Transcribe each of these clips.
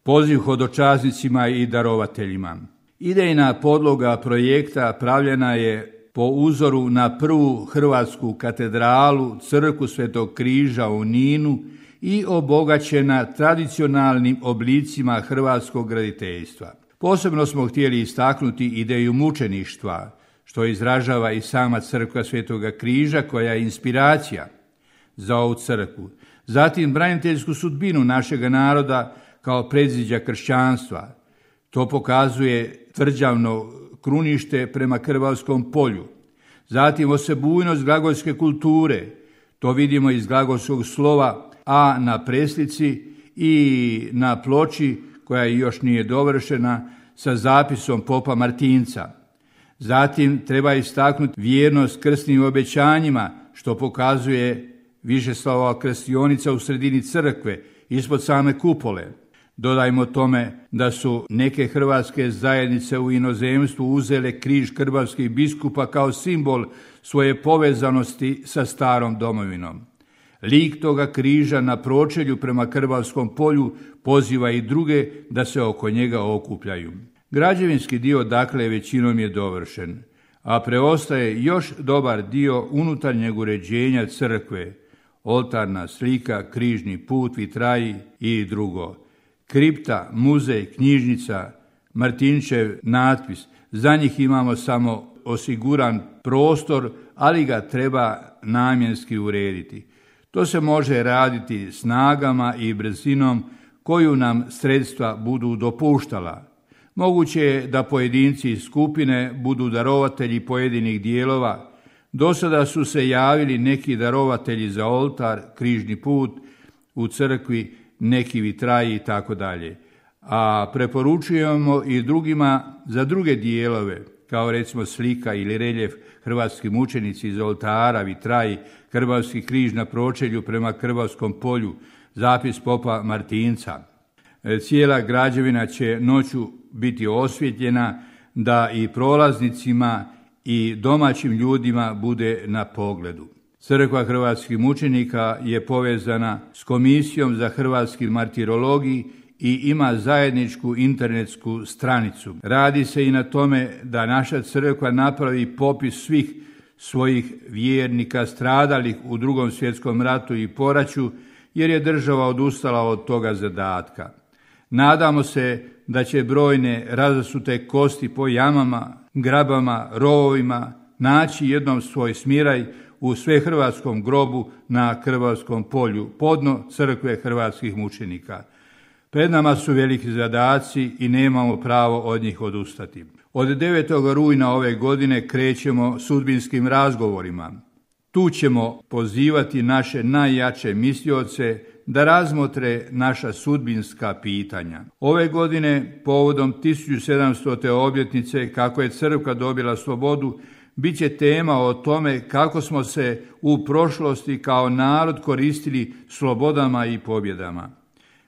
Poziv hodočasnicima i darovateljima. Idejna podloga projekta pravljena je po uzoru na prvu hrvatsku katedralu, crkvu Svetog Križa u Ninu i obogaćena tradicionalnim oblicima hrvatskog graditeljstva. Posebno smo htjeli istaknuti ideju mučeništva, što izražava i sama crkva Svetoga Križa, koja je inspiracija za ovu crkvu. Zatim braniteljsku sudbinu našega naroda kao predziđa kršćanstva. To pokazuje tvrđavno krunište prema Krvavskom polju. Zatim osebujnost glagolske kulture. To vidimo iz glagolskog slova A na preslici i na ploči koja još nije dovršena sa zapisom popa Martinca. Zatim treba istaknuti vjernost krsnim obećanjima, što pokazuje Višeslavova krstionica u sredini crkve, ispod same kupole. Dodajmo tome da su neke hrvatske zajednice u inozemstvu uzele križ krvavskih biskupa kao simbol svoje povezanosti sa starom domovinom. Lik toga križa na pročelju prema Krvavskom polju poziva i druge da se oko njega okupljaju. Građevinski dio dakle većinom je dovršen, a preostaje još dobar dio unutarnjeg uređenja crkve, oltarna slika, križni put, vitraji i drugo. Kripta, muzej, knjižnica, Martinčev natpis, za njih imamo samo osiguran prostor, ali ga treba namjenski urediti. To se može raditi snagama i brzinom koju nam sredstva budu dopuštala. Moguće je da pojedinci iz skupine budu darovatelji pojedinih dijelova. Do sada su se javili neki darovatelji za oltar, križni put u crkvi, neki vitraji i tako dalje. A preporučujemo i drugima za druge dijelove, kao recimo slika ili reljef hrvatski mučenici iz oltara, vitraji, Krvavski križ na pročelju prema Krvavskom polju, zapis popa Martinca. Cijela građevina će noću biti osvjetljena da i prolaznicima i domaćim ljudima bude na pogledu. Crkva hrvatskih mučenika je povezana s Komisijom za hrvatski martirologij i ima zajedničku internetsku stranicu. Radi se i na tome da naša crkva napravi popis svih svojih vjernika stradalih u Drugom svjetskom ratu i poraću, jer je država odustala od toga zadatka. Nadamo se da će brojne razasute kosti po jamama, grabama, rovovima naći jednom svoj smiraj u svehrvatskom grobu na Krvavskom polju, podno crkve hrvatskih mučenika. Pred nama su veliki zadaci i nemamo pravo od njih odustati. Od 9. rujna ove godine krećemo sudbinskim razgovorima. Tu ćemo pozivati naše najjače mislioce da razmotre naša sudbinska pitanja. Ove godine, povodom 1700. obljetnice kako je crkva dobila slobodu, bit će tema o tome kako smo se u prošlosti kao narod koristili slobodama i pobjedama.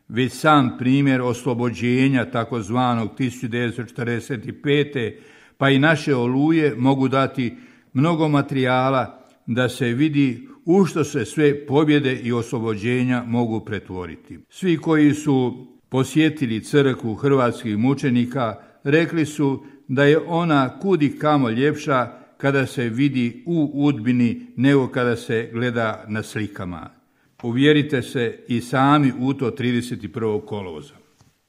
Već sam primjer oslobođenja takozvanog 1945. pa i naše oluje mogu dati mnogo materijala da se vidi u što se sve pobjede i oslobođenja mogu pretvoriti. Svi koji su posjetili crkvu hrvatskih mučenika rekli su da je ona kudi kamo ljepša kada se vidi u Udbini nego kada se gleda na slikama. Uvjerite se i sami u to 31. kolovoza.